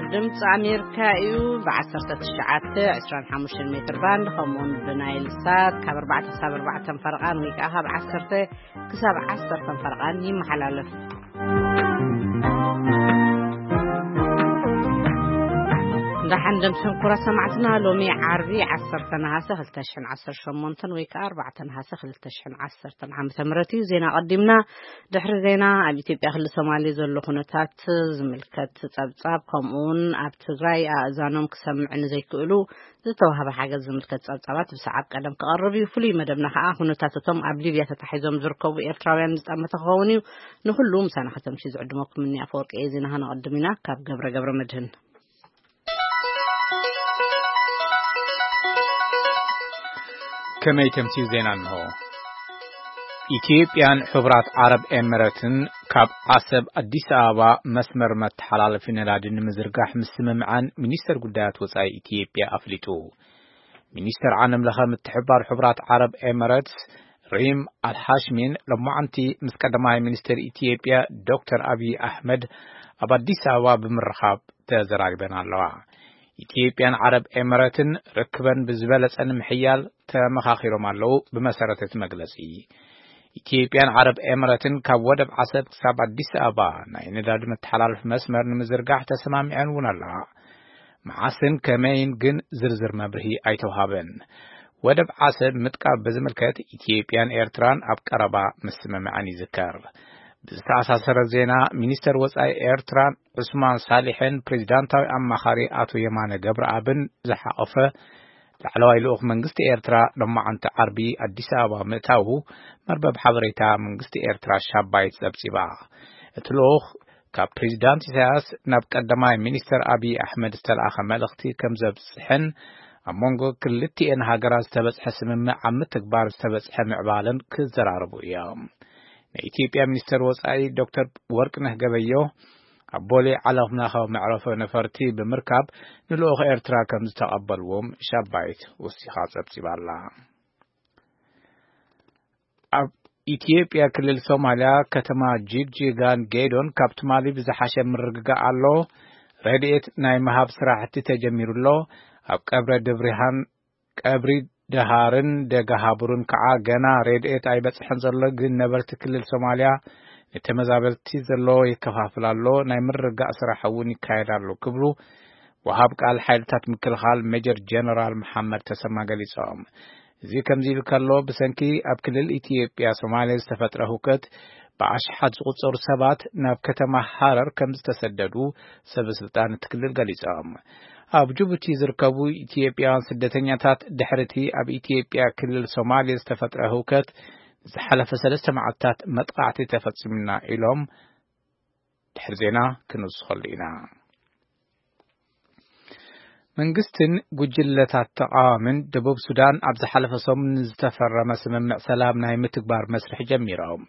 ድምፂ ኣሜሪካ እዩ። ብ19፣ 25 ሜትር ባንድ ከምኡውን ብናይል ሳት ካብ ኣርባዕተ ክሳብ ኣርባዕተ ፈረቓን ወይ ከዓ ካብ ዓሰርተ ክሳብ ዓሰርተ ፈረቓን ይመሓላለፍ። እንዳሓን ደምሰን ኩራ ሰማዕትና፣ ሎሚ ዓርቢ ዓሰርተ ነሃሰ ክልተ ሽሕን ዓሰርተ ሸሞንተን ወይ ከዓ ኣርባዕተ ነሃሰ ክልተ ሽሕን ዓሰርተን ዓመተ ምህረት እዩ። ዜና ቀዲምና። ድሕሪ ዜና ኣብ ኢትዮጵያ ክልል ሶማሌ ዘሎ ኩነታት ዝምልከት ጸብጻብ ከምኡውን ኣብ ትግራይ ኣእዛኖም ክሰምዕ ንዘይክእሉ ዝተዋህበ ሓገዝ ዝምልከት ጸብጻባት ብሰዓብ ቀደም ክቐርብ እዩ። ፍሉይ መደብና ከኣ ኩነታት እቶም ኣብ ሊብያ ተታሒዞም ዝርከቡ ኤርትራውያን ዝጠመተ ክኸውን እዩ። ንኹሉ ምሳና ከተምሲ ዝዕድመኩም እኒ ኣፈወርቂ እየ። ዜና ከነቐድም ኢና ካብ ገብረ ገብረ መድህን። ከመይ ተምሲ ዜና እንሆ። ኢትዮጵያን ሕቡራት ዓረብ ኤምረትን ካብ ዓሰብ ኣዲስ ኣበባ መስመር መተሓላለፊ ነዳዲ ንምዝርጋሕ ምስምምዓን ሚኒስተር ጉዳያት ወጻኢ ኢትዮጵያ ኣፍሊጡ። ሚኒስተር ዓለም ለኸ ምትሕብባር ሕቡራት ዓረብ ኤምረትስ ሪም ኣልሓሽሚን ሎማዓንቲ ምስ ቀዳማይ ሚኒስተር ኢትዮጵያ ዶክተር ኣብይ ኣሕመድ ኣብ ኣዲስ ኣበባ ብምርኻብ ተዘራሪበን ኣለዋ። ኢትዮጵያን ዓረብ ኤምረትን ርክበን ብዝበለጸ ንምሕያል ተመኻኺሮም ኣለዉ። ብመሰረት እቲ መግለጺ፣ ኢትዮጵያን ዓረብ ኤምረትን ካብ ወደብ ዓሰብ ክሳብ ኣዲስ ኣበባ ናይ ነዳዲ መተሓላለፊ መስመር ንምዝርጋሕ ተሰማሚዐን እውን ኣለዋ። መዓስን ከመይን ግን ዝርዝር መብርሂ ኣይተውሃበን። ወደብ ዓሰብ ምጥቃብ ብዝምልከት ኢትዮጵያን ኤርትራን ኣብ ቀረባ ምስምምዐን ይዝከር። ብዝተኣሳሰረ ዜና፣ ሚኒስተር ወጻኢ ኤርትራ ዑስማን ሳሊሕን ፕሬዚዳንታዊ ኣማኻሪ ኣቶ የማነ ገብረኣብን ዝሓቖፈ ላዕለዋይ ልኡኽ መንግስቲ ኤርትራ ሎማዓንቲ ዓርቢ ኣዲስ ኣበባ ምእታዉ መርበብ ሓበሬታ መንግስቲ ኤርትራ ሻባይት ጸብጺባ። እቲ ልኡኽ ካብ ፕሬዚዳንት ኢሳያስ ናብ ቀዳማይ ሚኒስተር ኣብይ ኣሕመድ ዝተለኣኸ መልእኽቲ ከም ዘብጽሕን ኣብ መንጎ ክልቲኤን ሃገራት ዝተበጽሐ ስምምዕ ኣብ ምትግባር ዝተበጽሐ ምዕባለን ክዘራረቡ እዮም። ናይ ኢትዮጵያ ሚኒስተር ወጻኢ ዶክተር ወርቅነህ ገበዮ ኣብ ቦሌ ዓለም ለኻዊ መዕረፎ ነፈርቲ ብምርካብ ንልኡኽ ኤርትራ ከም ዝተቐበልዎም ሻባይት ወሲኻ ጸብጺባ ኣላ። ኣብ ኢትዮጵያ ክልል ሶማልያ ከተማ ጂግጂጋን ጌዶን ካብ ትማሊ ብዝሓሸ ምርግጋእ ኣሎ። ረድኤት ናይ ምሃብ ስራሕቲ ተጀሚሩ ኣሎ። ኣብ ቀብረ ድብሪሃን ቀብሪ ደሃርን ደጋ ሃቡርን ከዓ ገና ረድኤት ኣይበጽሐን ዘሎ፣ ግን ነበርቲ ክልል ሶማልያ ንተመዛበልቲ ዘለዎ ይከፋፍል ኣሎ፣ ናይ ምርጋእ ስራሕ እውን ይካየድ ኣሎ ክብሉ ወሃብ ቃል ሓይልታት ምክልኻል ሜጀር ጀነራል መሓመድ ተሰማ ገሊጾም። እዚ ከምዚ ኢሉ ከሎ፣ ብሰንኪ ኣብ ክልል ኢትዮጵያ ሶማሌ ዝተፈጥረ ህውከት ብኣሽሓት ዝቑጸሩ ሰባት ናብ ከተማ ሃረር ከም ዝተሰደዱ ሰበ ስልጣን እቲ ክልል ገሊጾም። ኣብ ጅቡቲ ዝርከቡ ኢትዮጵያውያን ስደተኛታት ድሕሪ እቲ ኣብ ኢትዮጵያ ክልል ሶማሌ ዝተፈጥረ ህውከት ዝሓለፈ ሰለስተ መዓልታት መጥቃዕቲ ተፈጺሙና ኢሎም ድሕሪ ዜና ክንውስኸሉ ኢና። መንግስትን ጉጅለታት ተቃዋምን ደቡብ ሱዳን ኣብ ዝሓለፈ ሰሙን ዝተፈረመ ስምምዕ ሰላም ናይ ምትግባር መስርሕ ጀሚሮም።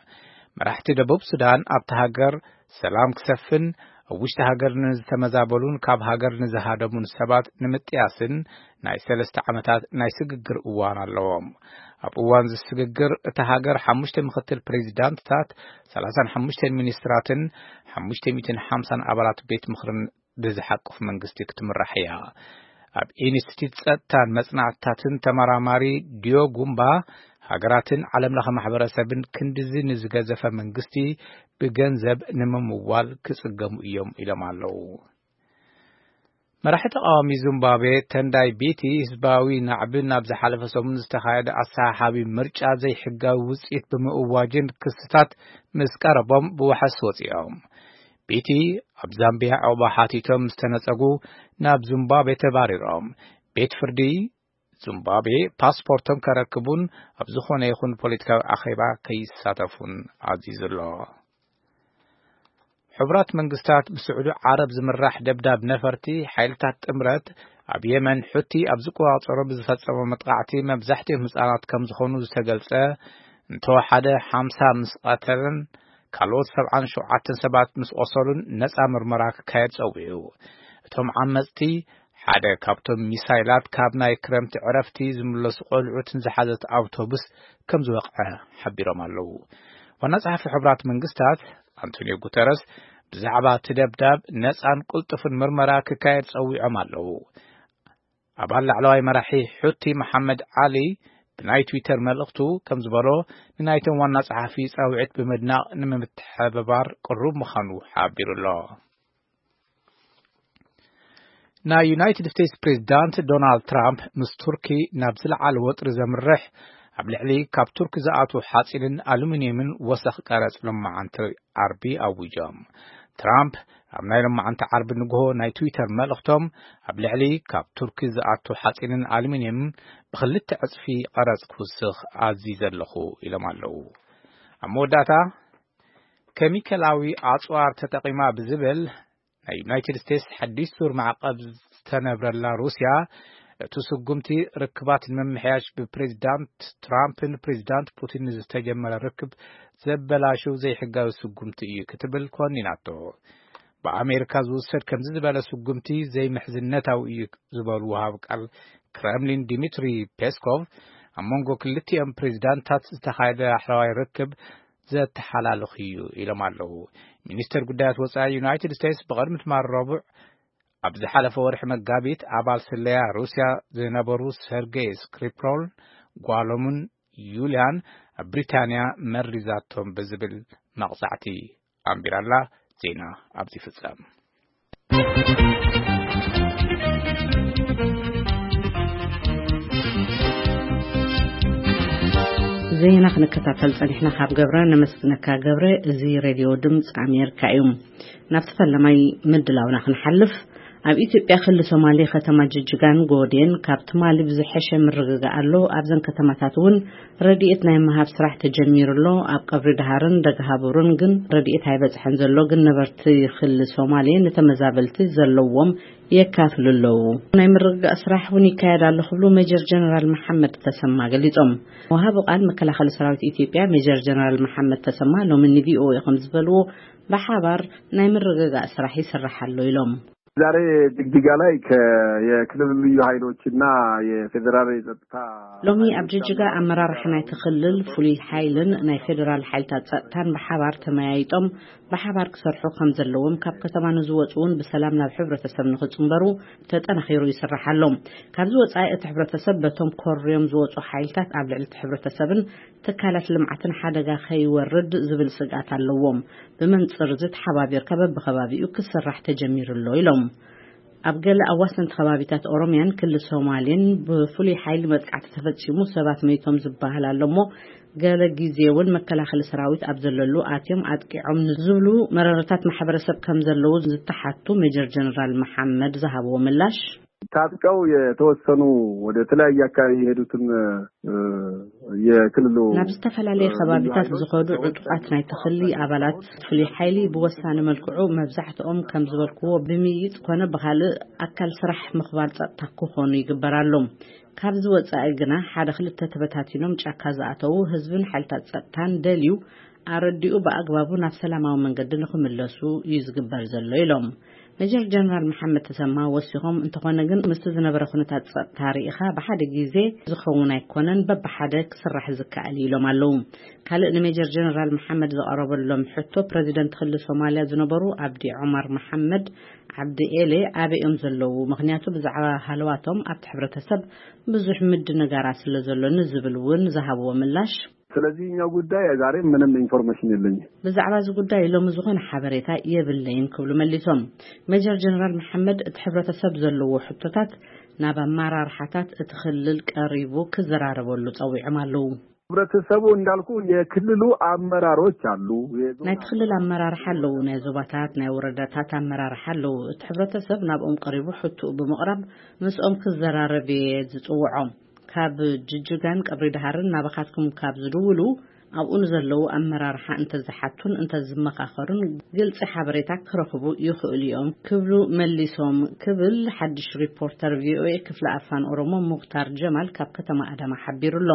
መራሕቲ ደቡብ ሱዳን ኣብቲ ሃገር ሰላም ክሰፍን፣ ኣብ ውሽጢ ሃገር ንዝተመዛበሉን ካብ ሃገር ንዝሃደሙን ሰባት ንምጥያስን ናይ ሰለስተ ዓመታት ናይ ስግግር እዋን ኣለዎም። ኣብ እዋን እዚ ስግግር እታ ሃገር ሓሙሽተ ምክትል ፕሬዚዳንትታት፣ ሰላሳን ሓሙሽተን ሚኒስትራትን ሓሙሽተ ሚእትን ሓምሳን ኣባላት ቤት ምኽርን ብዝሓቁፍ መንግስቲ ክትምራሕ እያ። ኣብ ኢንስቲትዩት ጸጥታን መጽናዕትታትን ተመራማሪ ዲዮ ጉምባ፣ ሃገራትን ዓለም ለኸ ማሕበረሰብን ክንድዚ ንዝገዘፈ መንግስቲ ብገንዘብ ንምምዋል ክጽገሙ እዮም ኢሎም ኣለዉ። መራሒ ተቃዋሚ ዚምባብዌ ተንዳይ ቢቲ ህዝባዊ ናዕቢ ናብ ዝሓለፈ ሰሙን ዝተኻየደ ኣሰሓሓቢ ምርጫ ዘይሕጋዊ ውጽኢት ብምእዋጅን ክስታት ምስ ቀረቦም ብዋሕስ ወጺኦም። ቢቲ ኣብ ዛምቢያ ዕቑባ ሓቲቶም ምስ ተነጸጉ ናብ ዚምባብዌ ተባሪሮም። ቤት ፍርዲ ዚምባብዌ ፓስፖርቶም ከረክቡን ኣብ ዝኾነ ይኹን ፖለቲካዊ ኣኼባ ከይሳተፉን ኣዚዙ ኣሎ። ሕቡራት መንግስታት ብስዑዲ ዓረብ ዝምራሕ ደብዳብ ነፈርቲ ሓይልታት ጥምረት ኣብ የመን ሑቲ ኣብ ዝቆጻጸሮ ብዝፈጸሞ መጥቃዕቲ መብዛሕትኦም ህጻናት ከም ዝኾኑ ዝተገልጸ እንተወሓደ ሓምሳ ምስ ቀተለን ካልኦት ሰብዓን ሸውዓተን ሰባት ምስ ቆሰሉን ነጻ ምርመራ ክካየድ ጸዊዑ። እቶም ዓመጽቲ ሓደ ካብቶም ሚሳይላት ካብ ናይ ክረምቲ ዕረፍቲ ዝምለሱ ቆልዑትን ዝሓዘት ኣውቶቡስ ከም ዝወቕዐ ሓቢሮም ኣለዉ። ዋና ጸሓፊ ሕቡራት መንግስታት ኣንቶኒዮ ጉተረስ ብዛዕባ እቲ ደብዳብ ነጻን ቅልጡፍን ምርመራ ክካየድ ጸዊዖም ኣለዉ። ኣባል ላዕለዋይ መራሒ ሑቲ መሓመድ ዓሊ ብናይ ትዊተር መልእኽቱ ከም ዝበሎ፣ ንናይቶም ዋና ጸሓፊ ጻውዒት ብምድናቕ ንምትሕብባር ቅሩብ ምዃኑ ሓቢሩ ኣሎ። ናይ ዩናይትድ ስቴትስ ፕሬዚዳንት ዶናልድ ትራምፕ ምስ ቱርኪ ናብ ዝለዓለ ወጥሪ ዘምርሕ ኣብ ልዕሊ ካብ ቱርኪ ዝኣትዉ ሓፂንን ኣሉሚንየምን ወሰኽ ቀረፅ ሎማዓንቲ ዓርቢ ኣዊጆም። ትራምፕ ኣብ ናይ ሎማዓንቲ ዓርቢ ንግሆ ናይ ትዊተር መልእኽቶም፣ ኣብ ልዕሊ ካብ ቱርኪ ዝኣቱ ሓፂንን ኣሉሚንየምን ብኽልተ ዕፅፊ ቀረፅ ክውስኽ ኣዚዘ ኣለኹ ኢሎም ኣለዉ። ኣብ መወዳእታ፣ ኬሚካላዊ ኣፅዋር ተጠቒማ ብዝብል ናይ ዩናይትድ ስቴትስ ሓድሽ ዙር ማዕቐብ ዝተነብረላ ሩስያ፣ እቲ ስጉምቲ ርክባት ንምምሕያሽ ብፕሬዚዳንት ትራምፕን ፕሬዚዳንት ፑቲን ዝተጀመረ ርክብ ዘበላሽው ዘይሕጋዊ ስጉምቲ እዩ ክትብል ኮኒናቶ። ብኣሜሪካ ዝውሰድ ከምዚ ዝበለ ስጉምቲ ዘይምሕዝነታዊ እዩ ዝበሉ ወሃብ ቃል ክረምሊን ዲሚትሪ ፔስኮቭ፣ ኣብ መንጎ ክልቲኦም ፕሬዚዳንታት ዝተኻየደ ኣሕለዋይ ርክብ ዘተሓላልኽ እዩ ኢሎም ኣለዉ። ሚኒስተር ጉዳያት ወጻኢ ዩናይትድ ስቴትስ ብቐድሚ ትማል ረቡዕ ኣብ ዝሓለፈ ወርሒ መጋቢት ኣባል ስለያ ሩስያ ዝነበሩ ሰርጌይ ስክሪፕሮል ጓሎምን ዩልያን ኣብ ብሪታንያ መሪዛቶም ብዝብል መቕጻዕቲ ኣንቢራላ። ዜና ኣብዚ ፍጸም። ዜና ክንከታተል ጸኒሕና ካብ ገብረ ነመስግነካ። ገብረ፣ እዚ ሬድዮ ድምፂ ኣሜሪካ እዩ። ናብቲ ፈለማይ ምድላውና ክንሓልፍ፣ ኣብ ኢትዮጵያ ክልል ሶማሌ ከተማ ጅጅጋን ጎዴን ካብ ትማሊ ብዝሐሸ ምርግጋእ ኣሎ። ኣብዘን ከተማታት እውን ረድኤት ናይ ምሃብ ስራሕ ተጀሚሩ ኣሎ። ኣብ ቀብሪ ደሃርን ደገሃቡርን ግን ረድኤት ኣይበፅሐን ዘሎ፣ ግን ነበርቲ ክልል ሶማሌ ንተመዛበልቲ ዘለዎም የካፍሉ ኣለዉ። ናይ ምርግጋእ ስራሕ እውን ይካየድ ኣሎ ክብሉ ሜጀር ጀነራል መሓመድ ተሰማ ገሊጾም። ወሃቢ ቃል መከላኸሊ ሰራዊት ኢትዮጵያ ሜጀር ጀነራል መሓመድ ተሰማ ሎሚ ን ቪኦኤ ከም ዝበልዎ፣ ብሓባር ናይ ምርግጋእ ስራሕ ይስራሕ ኣሎ ኢሎም። ዛሬ ጅግጅጋ ላይ ከ- የክልሉ ልዩ ኃይሎችና የፌዴራል የጸጥታ ሎሚ ኣብ ጅጅጋ ኣመራርሓ ናይቲ ክልል ፍሉይ ሓይልን ናይ ፌዴራል ሓይልታት ጸጥታን ብሓባር ተመያይጦም ብሓባር ክሰርሑ ከም ዘለዎም፣ ካብ ከተማ ንዝወጹ እውን ብሰላም ናብ ሕብረተሰብ ንኽጽንበሩ ተጠናኺሩ ይስራሕ ኣሎ። ካብዚ ወጻኢ እቲ ሕብረተሰብ በቶም ኮርዮም ዝወጹ ሓይልታት ኣብ ልዕሊ እቲ ሕብረተሰብን ትካላት ልምዓትን ሓደጋ ከይወርድ ዝብል ስግኣት ኣለዎም። ብመንጽር እዚ ተሓባቢርካ በብከባቢኡ ክስራሕ ተጀሚሩ ኣሎ ኢሎም። ኣብ ገለ ኣዋሰንቲ ከባቢታት ኦሮሚያን ክልል ሶማሌን ብፍሉይ ሓይሊ መጥቃዕቲ ተፈጺሙ ሰባት መይቶም ዝበሃል ኣሎ እሞ፣ ገለ ግዜ እውን መከላኸሊ ሰራዊት ኣብ ዘለሉ ኣትዮም ኣጥቂዖም ንዝብሉ መረረታት ማሕበረሰብ ከም ዘለዉ ዝተሓቱ ሜጀር ጀነራል መሓመድ ዝሃብዎ ምላሽ፣ ታጥቀው የተወሰኑ ወደ ተለያየ አካባቢ የሄዱትን የክልሉ ናብ ዝተፈላለየ ከባቢታት ዝኸዱ ዕጡቓት ናይቲ ክሊ ኣባላት ፍሉይ ሓይሊ ብወሳኒ መልክዑ መብዛሕትኦም ከም ዝበልክዎ ብምይይጥ ኮነ ብኻልእ ኣካል ስራሕ ምኽባር ጸጥታ ክኾኑ ይግበር ኣሎ። ካብዚ ወጻኢ ግና ሓደ ክልተ ተበታቲኖም ጫካ ዝኣተዉ ህዝብን ሓይልታት ጸጥታን ደልዩ ኣረዲኡ ብኣግባቡ ናብ ሰላማዊ መንገዲ ንኽምለሱ እዩ ዝግበር ዘሎ ኢሎም። ሜጀር ጀነራል መሓመድ ተሰማ ወሲኾም፣ እንተኾነ ግን ምስቲ ዝነበረ ኩነታት ጸጥታ ርኢኻ ብሓደ ግዜ ዝኸውን ኣይኮነን፣ በብሓደ ክስራሕ ዝከኣል እዩ ኢሎም ኣለዉ። ካልእ ንሜጀር ጀነራል መሓመድ ዝቐረበሎም ሕቶ፣ ፕረዚደንት ክልል ሶማልያ ዝነበሩ ኣብዲ ዑመር መሓመድ ዓብዲ ኤሌ ኣበይ እዮም ዘለዉ? ምኽንያቱ ብዛዕባ ሃለዋቶም ኣብቲ ሕብረተሰብ ብዙሕ ምድንጋራት ስለ ዘሎ ንዝብል እውን ዝሃብዎ ምላሽ፣ ስለዚህኛው ጉዳይ ዛሬ ምንም ኢንፎርሜሽን የለኝም። ብዛዕባ እዚ ጉዳይ ሎሚ ዝኾነ ሓበሬታ የብለይን ክብሉ መሊሶም። ሜጀር ጀነራል መሓመድ እቲ ሕብረተሰብ ዘለዎ ሕቶታት ናብ ኣመራርሓታት እቲ ክልል ቀሪቡ ክዘራረበሉ ጸዊዖም ኣለዉ። ሕብረተሰቡ እንዳልኩ የክልሉ ኣመራሮች አሉ። የዞን ናይቲ ክልል ኣመራርሓ ኣለዉ፣ ናይ ዞባታት ናይ ወረዳታት ኣመራርሓ ኣለዉ። እቲ ሕብረተሰብ ናብኦም ቀሪቡ ሕቶኡ ብምቕራብ ምስኦም ክዘራረብ እየ ዝጽውዖም። ካብ ጅጅጋን ቀብሪ ደሃርን ናባኻትኩም ካብ ዝድውሉ ኣብኡ ንዘለዉ ኣመራርሓ እንተዝሓቱን እንተዝመኻኸሩን ግልጺ ሓበሬታ ክረኽቡ ይኽእሉ እዮም ክብሉ መሊሶም ክብል ሓድሽ ሪፖርተር ቪኦኤ ክፍሊ ኣፋን ኦሮሞ ሙኽታር ጀማል ካብ ከተማ ኣዳማ ሓቢሩ ኣሎ።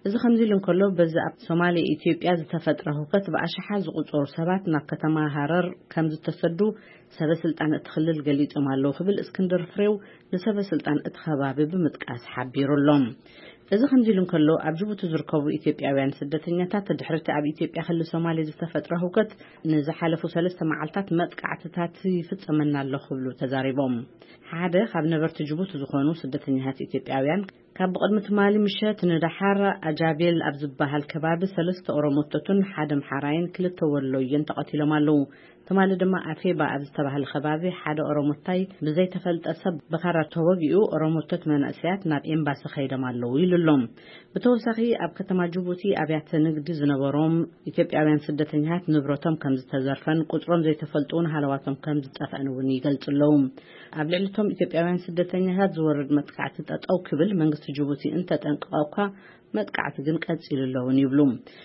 እዚ ከምዚ ኢሉ እንከሎ በዚ ኣብ ሶማሌ ኢትዮጵያ ዝተፈጥረ ህውከት ብኣሽሓት ዝቑጸሩ ሰባት ናብ ከተማ ሃረር ከም ዝተሰዱ ሰበ ስልጣን እቲ ክልል ገሊጾም ኣለዉ ክብል እስክንድር ፍሬው ንሰበ ስልጣን እቲ ከባቢ ብምጥቃስ ሓቢሩ ኣሎ። እዚ ከምዚ ኢሉ እንከሎ፣ ኣብ ጅቡቲ ዝርከቡ ኢትዮጵያውያን ስደተኛታት፣ ድሕሪ እቲ ኣብ ኢትዮጵያ ክልል ሶማሌ ዝተፈጥረ ህውከት፣ ንዝሓለፉ ሰለስተ መዓልታት መጥቃዕትታት ይፍጸመና ኣሎ ክብሉ ተዛሪቦም። ሓደ ካብ ነበርቲ ጅቡቲ ዝኾኑ ስደተኛታት ኢትዮጵያውያን፣ ካብ ብቕድሚ ትማሊ ምሸት ንደሓር ኣጃቤል ኣብ ዝበሃል ከባቢ ሰለስተ ኦሮሞቶትን ሓደ ኣምሓራይን ክልተ ወሎዮን ተቐቲሎም ኣለዉ። ትማሊ ድማ ኣፌባ ኣብ ዝተባህለ ከባቢ ሓደ ኦሮሞታይ ብዘይተፈልጠ ሰብ ብኻራ ተወጊኡ፣ ኦሮሞቶት መንእሰያት ናብ ኤምባሲ ከይዶም ኣለዉ ኢሉ ኣሎ። ብተወሳኺ፣ ኣብ ከተማ ጅቡቲ ኣብያተ ንግዲ ዝነበሮም ኢትዮጵያውያን ስደተኛታት ንብረቶም ከም ዝተዘርፈን ቁጽሮም ዘይተፈልጡ እውን ሃለዋቶም ከም ዝጠፍአን እውን ይገልጹ ኣለዉ። ኣብ ልዕሊ እቶም ኢትዮጵያውያን ስደተኛታት ዝወርድ መጥቃዕቲ ጠጠው ክብል መንግስቲ ጅቡቲ እንተጠንቀቐ እኳ፣ መጥቃዕቲ ግን ቀጺሉ ኣሎ እውን ይብሉ።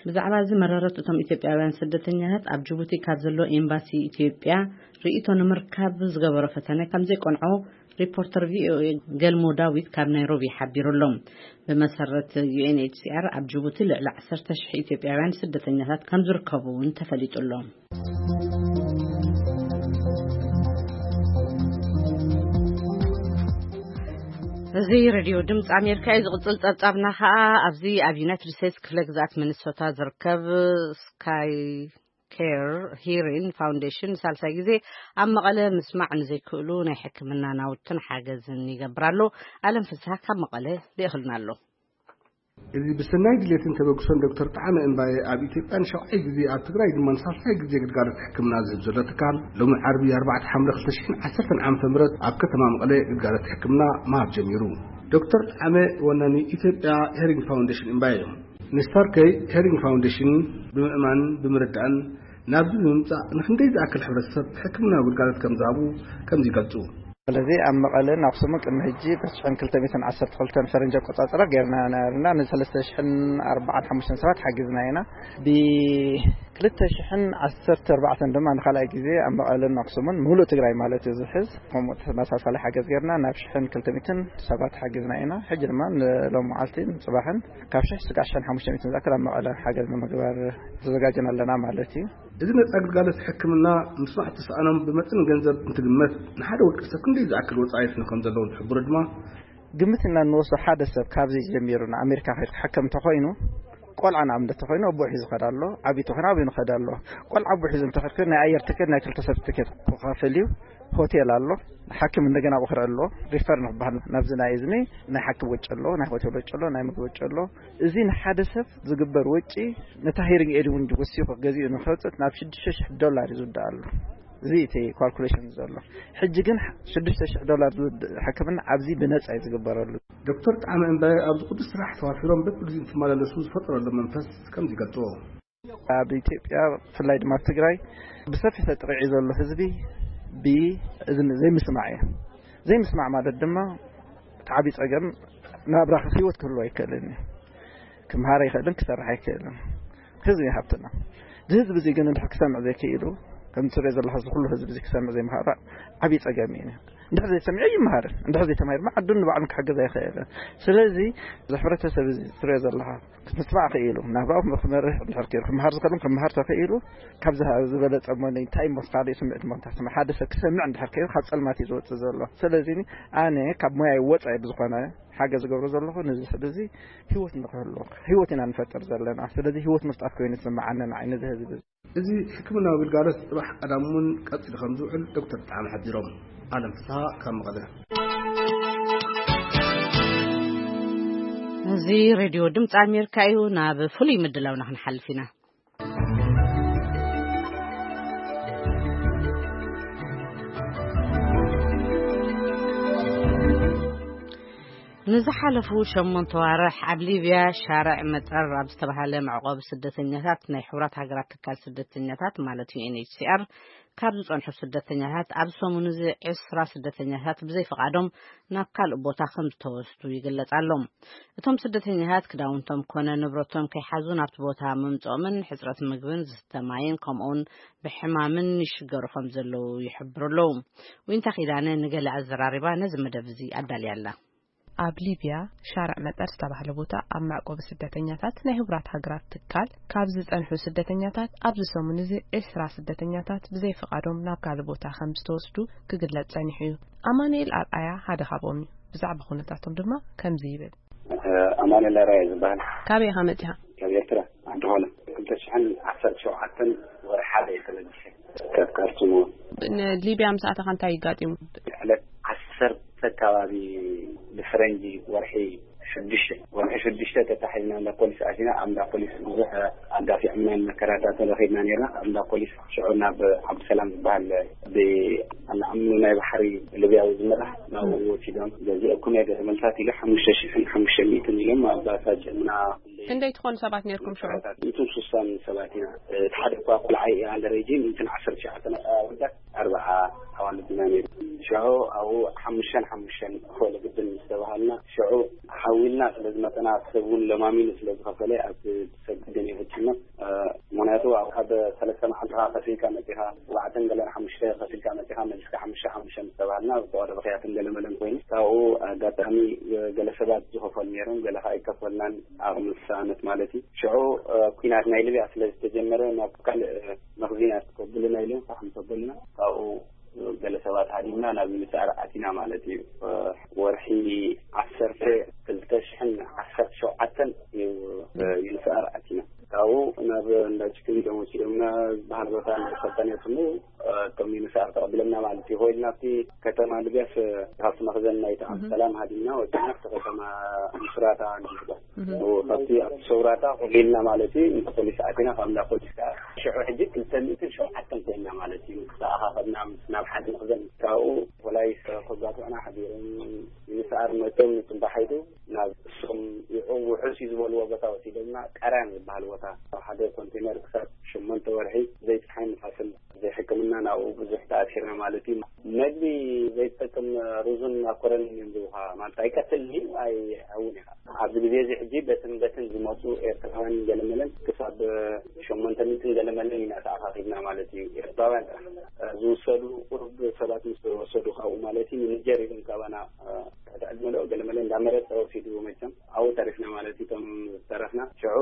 ብዛዕባ እዚ መረረት እቶም ኢትዮጵያውያን ስደተኛታት ኣብ ጅቡቲ ካብ ዘሎ ኤምባሲ ኢትዮጵያ ርእይቶ ንምርካብ ዝገበሮ ፈተነ ከም ዘይቀንዖ ሪፖርተር ቪ ኦ ኤ ገልሞ ዳዊት ካብ ናይሮቢ ሓቢሩ ኣሎ። ብመሰረት ዩ ኤን ኤች ሲ ኣር፣ ኣብ ጅቡቲ ልዕሊ ዓሰርተ ሽሕ ኢትዮጵያውያን ስደተኛታት ከም ዝርከቡ እውን ተፈሊጡ ኣሎ። እዚ ሬድዮ ድምፂ ኣሜሪካ እዩ። ዝቕፅል ፀብፃብና ከዓ ኣብዚ ኣብ ዩናይትድ ስቴትስ ክፍለ ግዝኣት ሚኒሶታ ዝርከብ ስካይ ኬር ሂሪን ፋውንዴሽን ንሳልሳይ ግዜ ኣብ መቐለ ምስማዕ ንዘይክእሉ ናይ ሕክምና ናውትን ሓገዝን ይገብር ኣሎ። ኣለም ፍስሃ ካብ መቐለ ልእኽልና ኣሎ። እዚ ብሰናይ ድሌትን ተበግሶን ዶክተር ጣዕመ እምባየ ኣብ ኢትዮጵያ ንሻውዓይ ግዜ፣ ኣብ ትግራይ ድማ ንሳልሳይ ግዜ ግልጋሎት ሕክምና ዝህብ ዘሎ ትካል፣ ሎሚ ዓርቢ ኣርባዕተ ሓምለ ክልተ ሽሕን ዓሰርተን ዓመተ ምህረት ኣብ ከተማ መቐለ ግልጋሎት ሕክምና ምሃብ ጀሚሩ። ዶክተር ጣዕመ ወናኒ ኢትዮጵያ ሄሪንግ ፋውንዴሽን እምባየ እዮም። ንስታርከይ ሄሪንግ ፋውንዴሽን ብምእማን ብምርዳእን ናብዚ ብምምጻእ ንክንደይ ዝኣክል ሕብረተሰብ ሕክምናዊ ግልጋሎት ከም ዝሃቡ ከምዚ ይገልጹ። ስለዚ ኣብ መቐለን ኣኽሱምን ቅድሚ ሕጂ ተስዕን ክልተ ሚእትን ዓሰርተ ክልተን ፈረንጂ ኣቆጻጽራ ጌርና ነበርና። ንሰለስተ ሽሕን ኣርባዓን ሓሙሽተን ሰባት ሓጊዝና ኢና። ብክልተ ሽሕን ዓሰርተ ኣርባዕተን ድማ ንኻልኣይ ግዜ ኣብ መቐለን ኣኽሱምን፣ ሙሉእ ትግራይ ማለት እዩ ዝሕዝ፣ ከምኡ ተመሳሳሊ ሓገዝ ጌርና ናብ ሽሕን ክልተ ሚእትን ሰባት ሓጊዝና ኢና። ሕጂ ድማ ንሎም መዓልቲ ንጽባሕን ካብ ሽሕ ስጋዕ ሽሕን ሓሙሽተ ሚእትን ዝኣክል ኣብ መቐለ ሓገዝ ንምግባር ተዘጋጅና ኣለና ማለት እዩ። እዚ ነጻ ግልጋሎት ሕክምና ምስማዕ ተሳእኖም ብመጠን ገንዘብ እንትግመት፣ ንሓደ ውልቀ ሰብ ክንደይ ዝኣክል ወጻኢት ከም ዘለዎ ዝሕብሩ ድማ፣ ግምት ኢና እንወስዶ። ሓደ ሰብ ካብዚ ጀሚሩ ንኣሜሪካ ከይዱ ክሕከም እንተኾይኑ፣ ቆልዓ ንኣብነት እንተኾይኑ ኣቦኡ ሒዙ ይኸድ ኣሎ፣ ዓብዪ እንተኾይኑ ኣበይ ንኸድ ኣሎ። ቆልዓ ኣቦኡ ሒዙ እንተኸድኩ ናይ ኣየር ትኬት፣ ናይ ክልተ ሰብ ትኬት ክኸፍል እዩ። ሆቴል ኣሎ፣ ሓኪም እንደገና ብኽሪ ኣሎ፣ ሪፈር ንክበሃል ናብዚ ናይ እዝኒ ናይ ሓኪም ወጪ ኣሎ፣ ናይ ሆቴል ወጪ ኣሎ፣ ናይ ምግቢ ወጪ ኣሎ። እዚ ንሓደ ሰብ ዝግበር ወጪ ነታ ሄሪንግ ኤድ እውን ወሲኹ ገዚኡ ንክወፅእ ናብ ሽዱሽተ ሽሕ ዶላር እዩ ዝውዳእ ኣሎ። እዚ እቲ ካልኩሌሽን ዘሎ። ሕጂ ግን ሽዱሽተ ሽሕ ዶላር ዝውድእ ሕክምና ኣብዚ ብነጻ እዩ ዝግበረሉ። ዶክተር ጣዕመ እምባየ ኣብዚ ቅዱስ ስራሕ ተዋፊሮም በብግዜኡ እንትመላለሱ ዝፈጠረሎም መንፈስ ከምዚ ይገልጽዎ። ኣብ ኢትዮጵያ ብፍላይ ድማ ኣብ ትግራይ ብሰፊሕ ተጠቂዑ ዘሎ ህዝቢ ብ-፣ እዚ ዘይምስማዕ እዩ። ዘይምስማዕ ማለት ድማ እቲ ዓብዪ ጸገም ናብራ ህይወት ክህልዎ ኣይክእልን እዩ። ክምሃር ኣይክእልን፣ ክሰርሕ ኣይክእልን። ህዝቢ እዩ ሃብትና። እዚ ህዝቢ እዚ ግን እንድሕር ክሰምዕ ዘይክኢሉ፣ ከም ትሪኦ ዘለኻ እዚ ኩሉ ህዝቢ እዚ ክሰምዕ ዘይምኽኣሉ ዓብዪ ጸገም እዩ። እንድሕር ዘይሰሚዑ ኣይምሃርን። እንድሕር ዘይተማሂሩ ድማ ዓዱ ንባዕሉ ክሕግዝ ኣይኽእልን። ስለዚ እዚ ሕብረተሰብ እዚ ትሪኦ ዘለኻ ምስማዕ ክኢሉ፣ ናብራኡ ክመርሕ እንድሕር ክኢሉ፣ ክምሃር ዝኽእልን ክምሃር ተኽኢሉ፣ ካብዚ ዝበለጸ እሞ እንታይ እሞ ካልእ ስምዒት እሞ እንታይ ስምዒት? ሓደ ሰብ ክሰምዕ እንድሕር ክኢሉ ካብ ጸልማት እዩ ዝወጽእ ዘሎ። ስለዚ ኣነ ካብ ሞያይ ወጻኢ ብዝኾነ ሓገዝ ዝገብሮ ዘለኹ ነዚ ሰብ እዚ ህይወት ንኽህልዎ፣ ህይወት ኢና ንፈጥር ዘለና። ስለዚ ህይወት ምፍጣር ኮይኑ ዝስምዓኒ ንዓይ ነዚ ህዝቢ እዚ። እዚ ሕክምናዊ ግልጋሎት ጽባሕ ቀዳም እውን ቀጺሉ ከም ዝውዕል ዶክተር ጣዕመ ሓቢሮም። ኣለም ፍስሃ ካብ መቐለ። እዚ ሬድዮ ድምፂ ኣሜሪካ እዩ። ናብ ፍሉይ ምድላውና ክንሓልፍ ኢና። ንዝሓለፉ ሸሞንተ ዋርሕ ኣብ ሊብያ ሻርዕ መጠር ኣብ ዝተባህለ መዕቆቢ ስደተኛታት ናይ ሕቡራት ሃገራት ትካል ስደተኛታት ማለት ዩ ኤን ኤች ሲ ኣር ካብ ዝጸንሑ ስደተኛታት ኣብ ሰሙን እዚ ዕስራ ስደተኛታት ብዘይፍቓዶም ናብ ካልእ ቦታ ከም ዝተወስዱ ይግለጽ ኣሎ። እቶም ስደተኛታት ክዳውንቶም ኮነ ንብረቶም ከይሓዙ ናብቲ ቦታ ምምጽኦምን ሕጽረት ምግብን ዝስተ ማይን ከምኡውን ብሕማምን ይሽገሩ ከም ዘለዉ ይሕብሩ ኣለዉ። ዊንታ ኪዳነ ንገለ ኣዘራሪባ ነዚ መደብ እዚ ኣዳልያ ኣላ። ኣብ ሊብያ ሻርዕ መጠር ዝተባህለ ቦታ ኣብ መዕቆቢ ስደተኛታት ናይ ህቡራት ሃገራት ትካል ካብ ዝጸንሑ ስደተኛታት ኣብዚ ሰሙን እዚ ዕስራ ስደተኛታት ብዘይፍቓዶም ናብ ካልእ ቦታ ከም ዝተወስዱ ክግለጽ ጸኒሑ እዩ። ኣማኑኤል ኣርኣያ ሓደ ካብኦም እዩ። ብዛዕባ ኩነታቶም ድማ ከምዚ ይብል። ኣማኑኤል ኣራየ ዝበሃል። ካበይ ኢኻ መጺኻ? ካብ ኤርትራ ዓዲ ኾለ ክልተ ሽሕን ዓሰርተ ሸውዓተን ወርሒ ሓደ እየ ተበጊሰ ካብ ካርቱም። ንሊብያ ምስኣተኻ እንታይ ይጋጢሙ? ዕለት ዓሰርተ ከባቢ ብፈረንጂ ወርሒ ሽዱሽተ ወርሒ ሽዱሽተ ተታሒዝና እንዳ ፖሊስ ኣቲና። ኣብ እንዳ ፖሊስ ብዙሕ ኣጋፊዖምና መከራታት ረኺብና ነርና። ኣብ እንዳ ፖሊስ ሽዑ ናብ ዓብዱሰላም ዝበሃል ብኣልዓምሉ ናይ ባሕሪ ልብያዊ ዝመራሕ ናብኡ ወሲዶም ገዚኦኩም እየ ገለ መልታት ኢሉ ሓሙሽተ ሽሕን ሓሙሽተ ሚእትን ኢሎም ኣብ ባሳጀምና። ክንደይ ትኾኑ ሰባት ነርኩም ሽዑ? ሚእትን ስሳን ሰባት ኢና። እቲ ሓደ እኳ ቆልዓ እየ ኣንደር ኤጅ ሚእትን ዓሰርተ ሸውዓተ ኣወዳት ኣርባዓ ኣዋልድ ኢና ነይሩ። ሽዑ ኣብኡ ሓሙሽተን ሓሙሽተን ክኾሉ ግድን ምስ ተባሃልና ሽዑ ሓዊልና ስለ ዝመጠና ሰብ እውን ለማሚኑ ስለ ዝኸፈለ ኣብ ሰግድን ይፈችና። ምክንያቱ ኣብ ሓደ ሰለስተ መዓልቲ ከፊልካ መፂኻ፣ ኣርባዕተን ገለን ሓሙሽተ ከፊልካ መፂኻ፣ መሊስካ ሓሙሽተ ሓሙሽተ ምስ ተባሃልና ብተዋደ ብኽያትን ገለመለን ኮይኑ ካብኡ ኣጋጣሚ ገለ ሰባት ዝኸፈሉ ነይሮም፣ ገለ ከዓ ኣይከፈልናን፣ ዓቕሚ ዝሰኣነት ማለት እዩ። ሽዑ ኩናት ናይ ሊብያ ስለ ዝተጀመረ ናብ ካልእ መኽዚናት ከብሉና ኢሎም ፋሕም ከበሉና። ካብኡ ገለ ሰባት ሃዲምና ናብ ዩኒስኣር ኣቲና ማለት እዩ። ወርሒ ዓሰርተ ክልተ ሽሕን ዓሰርተ ሸውዓተን እዩ ዩኒስኣር ኣቲና። ካብኡ ናብ እንዳ ችክን ኢሎም ወሲዶምና ዝበሃል ቦታ ናብ ሰልጠነት ስሙ እቶም ዩኒስኣር ተቐቢሎምና ማለት እዩ። ኮይልና ኣብቲ ከተማ ልብያስ ካብቲ መኽዘን ናይቲ ዓብዱሰላም ሃዲምና ወፂና ኣብቲ ከተማ ምስራታ ንግባ ካብቲ ኣብቲ ሰውራታ ቆሊልና ማለት እዩ። እንተ ፖሊስ ኣቲና ካብ እንዳ ፖሊስ ከዓ ሽዑ ሕጂ ክልተ ሚእትን ሸውዓተን ኮይና ማለት እዩ። ተኣኻኸብና ምስ ናብ ሓደ መኽዘን ካብኡ ፖላይስ ከጋትዑና ሓዲሮም። ዩኒስኣር መፅኦም ንፅባሕ ኢሉ ናብ እሶም ይዑ ውሑስ እዩ ዝበልዎ ቦታ ወሲዶምና ቀራን ዝበሃል ቦታ ኣብ ሓደ ኮንቴነር ክሳብ ሸሞንተ ወርሒ ዘይፀሓይ ንፋስን ዘይሕክምና ናብኡ ብዙሕ ተኣሲርና ማለት እዩ። መግቢ ዘይትጠቅም ሩዝን ማኮረንን እዮም ዝቡኻ ማለት ኣይቀትልን እዩ ኣይሕውን ኢኻ። ኣብዚ ግዜ እዚ ሕጂ በትን በትን ዝመፁ ኤርትራውያን ገለመለን ክሳብ ሸሞንተ ሚእትን ገለመለን ኢና ተኣኻኺብና ማለት እዩ። ኤርትራውያን ጥራሕ ዝውሰዱ ቁሩብ ሰባት ምስ ተወሰዱ ካብኡ ማለት እዩ ንጀር ኢሎም ካባና ትሕቲ ዕድመ ዶ ገለመለ እንዳመረፀ ወሲድዎ መቸም ኣብኡ ተሪፍና ማለት እዩ። እቶም ዝተረፍና ሽዑ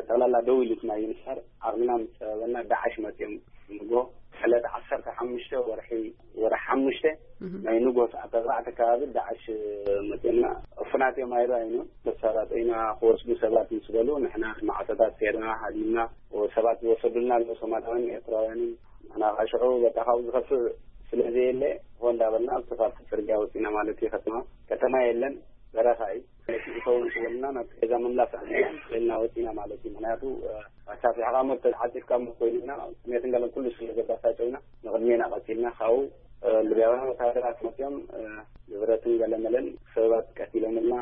ጠቕላላ ደው ኢሉትና ዩኒስኣር ዓቕምና ምስ ፀበበና ዳዕሽ መፅኦም ንጎ ዕለት ዓሰርተ ሓሙሽተ ወርሒ ወርሒ ሓሙሽተ ናይ ንጎ ሰዓት ኣርባዕተ ከባቢ ዳዕሽ መፅኦምና። እፉናት እዮም ኣይረኣዩን እዮም። መሳራጠይና ክወስዱ ሰባት ምስ በሉ ንሕና ማዕፆታት ሴርና ሃዲምና ሰባት ዝወሰዱልና ኣለዉ ሶማላውያንን ኤርትራውያንን። ንሕና ከዓ ሽዑ በቃ ካብኡ ዝኸፍእ ስለ ዘየለ ሆ እንዳበልና ኣብቲ ካብቲ ፅርግያ ወፂና ማለት እዩ። ከተማ ከተማ የለን በረኻ እዩ። ስለዚ እተውን ክብልና ናብ ገዛ ምምላስ ኣና ወፂና ማለት እዩ። ምክንያቱ ኣሳፊሕካ እሞ ተዓፂፍካ እሞ ኮይኑና ስሜትን ገለን ኩሉ ስለ ዘባሳጨውና ንቕድሜና ቀፂልና ካብኡ ልብያውያን ወታደራት መፅኦም ንብረትን ገለመለን ሰባት ቀቲሎምልና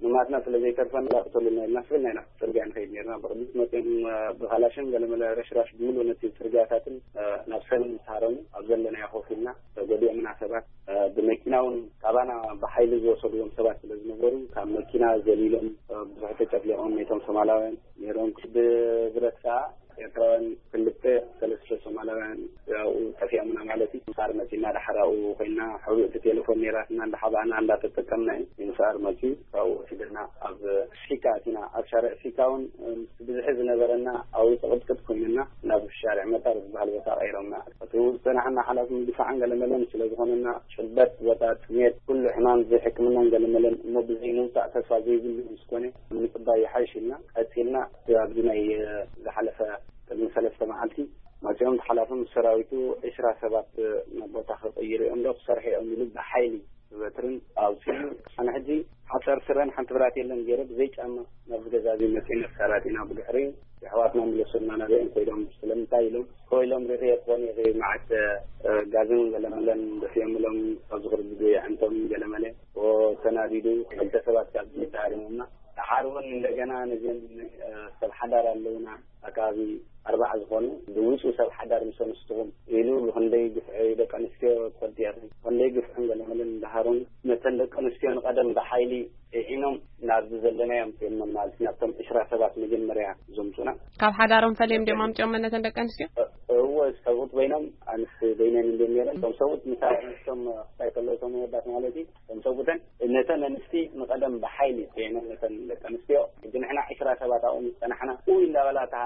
ንማትና ስለ ዘይተርፈና ቅተሉና ኢልና ስብልና ኢና ጽርግያ ንኸይድ ነርና። ብቕድሚት መፅኦም ብኻላሽን ገለመለ ረሽራሽ ብምሉእ ነቲ ጽርግያታትን ናብ ሰልም ዝሃረሙ ኣብ ዘለናዮ ኮፍ ኢልና ተጎዲኦምና ሰባት ብመኪና እውን ካባና ብሓይሊ ዝወሰድዎም ሰባት ስለ ዝነበሩ ካብ መኪና ዘሊሎም ብዙሕ ተጨፍሊቖም ነቶም ሶማላውያን ነይሮም። ብብረት ከዓ ኤርትራውያን ክልተ ሰለስተ ሶማላውያን ኣብኡ ጠፊኦምና ማለት እዩ። ምሳር መፂና ዳሕር ኣብኡ ኮይና ሕቡእ እቲ ቴሌፎን ነይራትና እንዳሓባእና እንዳተጠቀምና እዩ። ምሳር መፂ ካብኡ ወሲድና ኣብ ፊካ ኣቲና ኣብ ሻርዕ ፊካ እውን ብዝሒ ዝነበረና ኣብኡ ፅቕጥቅጥ ኮይንና ናብ ሻርዕ መጣር ዝበሃል ቦታ ቀይሮምና። እቲ ዝፀናሕና ሓላፊ ምድፋዕን ገለመለን ስለ ዝኾነና ጭበት ቦታ ጥሜት ኩሉ ሕማም ዘይሕክምናን ገለመለን እሞ ብዘይ ምውፃእ ተስፋ ዘይብሉ ምስ ኮነ ምፅባይ ይሓይሽ ኢልና ቀፂልና ኣብዚ ናይ ዝሓለፈ ቅድሚ ሰለስተ መዓልቲ መፂኦም ተሓላፊ ምስ ሰራዊቱ ዕስራ ሰባት ናብ ቦታ ክቕይሩ እዮም ዶ ክሰርሑ እዮም ኢሉ ብሓይሊ ብበትርን ኣውፂኡ ኣነ ሕጂ ሓፀር ስረን ሓንቲ ብራት የለን ገይረ ብዘይ ጫማ ናብዚ ገዛ እዚ መፂና ተሳራጢና ብድሕሪ የሕዋትና ምለሱልና ናበኦም ኮይዶም ስለምንታይ ኢሎም ኮይሎም ርኢየ ክኾን ይኽእል መዓት ጋዝን ገለመለን ደፊኦምሎም ካብ ዝኽርድዱ የዕንቶም ገለመለ ተናዲዱ ክልተ ሰባት ካብ ተሃሪሞምና ደሓር እውን እንደገና ነዚኦም ሰብ ሓዳር ኣለውና ኣካባቢ ኣርባዓ ዝኾኑ ዝውፁ ሰብ ሓዳር ምስ ኣንስትኹም ኢሉ ብክንደይ ግፍዒ ደቂ ኣንስትዮ ትፈልጥያ ብክንደይ ግፍዕን ገለመለን እንዳሃሮም ነተን ደቂ ኣንስትዮ ንቐደም ብሓይሊ ዒዒኖም ናብዚ ዘለናዮ ኣምፅኦምና ማለት ናብቶም ዕስራ ሰባት መጀመርያ ዘምፁና ካብ ሓዳሮም ፈለዮም ድዮም ኣምፅኦም ነተን ደቂ ኣንስትዮ እወ ሰብኡት በይኖም ኣንስ በይነን እንድዮም ነይረን እቶም ሰብኡት ምሳሌ ኣንስቶም ክታይ ከለዉ እቶም ወዳት ማለት እዩ እቶም ሰብኡተን ነተን ኣንስቲ ንቐደም ብሓይሊ ፂዒኖም ነተን ደቂ ኣንስትዮ ሕጂ ንሕና ዕስራ ሰባት ኣብኡ ምስ ፀናሕና ኡይ እንዳበላ እታ